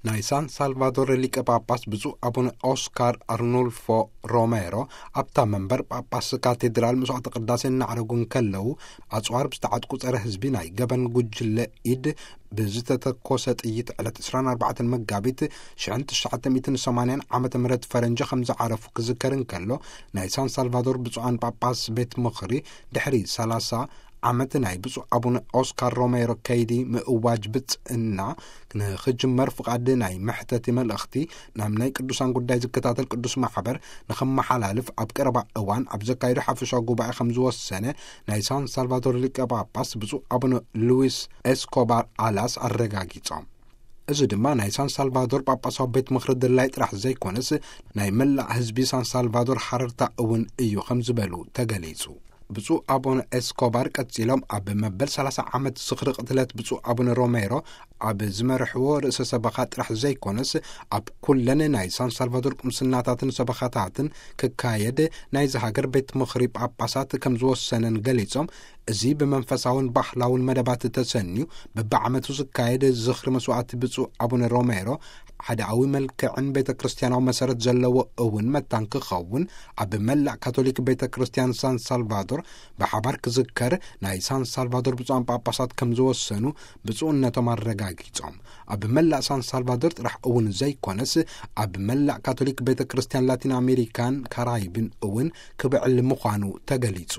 ናይ ሳን ሳልቫዶር ሊቀ ጳጳስ ብፁዕ ኣቡነ ኦስካር ኣርኖልፎ ሮሜሮ ኣብታ መንበር ጳጳስ ካቴድራል መስዋዕተ ቅዳሴ እናዕረጉ እንከለዉ፣ ኣጽዋር ብዝተዓጥቁ ጸረ ህዝቢ ናይ ገበን ጉጅለ ኢድ ብዝተተኮሰ ጥይት ዕለት ዕስራን ኣርባዕተን መጋቢት ሽሕን ትሽዓተ ሚእትን ሰማንያን ዓመተ ምህረት ፈረንጂ ከም ዝዓረፉ ክዝከር እንከሎ፣ ናይ ሳን ሳልቫዶር ብፁዓን ጳጳስ ቤት ምኽሪ ድሕሪ ሰላሳ ዓመት ናይ ብፁዕ ኣቡነ ኦስካር ሮሜሮ ከይዲ ምእዋጅ ብጽእና ንኽጅመር ፍቓድ ናይ መሕተቲ መልእኽቲ ናብ ናይ ቅዱሳን ጉዳይ ዝከታተል ቅዱስ ማሕበር ንኸመሓላልፍ ኣብ ቀረባ እዋን ኣብ ዘካየዶ ሓፈሻዊ ጉባኤ ከም ዝወሰነ ናይ ሳን ሳልቫዶር ሊቀ ጳጳስ ብፁዕ ኣቡነ ሉዊስ ኤስኮባር ኣላስ ኣረጋጊጾም። እዚ ድማ ናይ ሳን ሳልቫዶር ጳጳሳዊ ቤት ምኽሪ ድላይ ጥራሕ ዘይኮነስ፣ ናይ መላእ ህዝቢ ሳን ሳልቫዶር ሓረርታ እውን እዩ ከም ዝበሉ ተገሊጹ። ብፁዕ ኣቡነ ኤስኮባር ቀጺሎም፣ ኣብ መበል ሰላሳ ዓመት ዝኽሪ ቅትለት ብፁዕ ኣቡነ ሮሜሮ ኣብ ዝመርሕዎ ርእሰ ሰበኻ ጥራሕ ዘይኮነስ፣ ኣብ ኩለን ናይ ሳን ሳልቫዶር ቁምስናታትን ሰበኻታትን ክካየድ ናይዚ ሃገር ቤት ምኽሪ ጳጳሳት ከም ዝወሰነን ገሊጾም፣ እዚ ብመንፈሳውን ባህላውን መደባት ተሰንዩ በብዓመቱ ዝካየድ ዝኽሪ መስዋዕቲ ብፁዕ ኣቡነ ሮሜሮ ሓድኣዊ መልክዕን ቤተ ክርስቲያናዊ መሰረት ዘለዎ እውን መታን ክኸውን፣ ኣብ መላእ ካቶሊክ ቤተ ክርስቲያን ሳን ሳልቫዶር ብሓባር ክዝከር ናይ ሳን ሳልቫዶር ብፁዓን ጳጳሳት ከም ዝወሰኑ ብፁዕነቶም ኣረጋጊጾም። ኣብ መላእ ሳን ሳልቫዶር ጥራሕ እውን ዘይኮነስ፣ ኣብ መላእ ካቶሊክ ቤተ ክርስቲያን ላቲን ኣሜሪካን ካራይብን እውን ክብዕል ምዃኑ ተገሊጹ።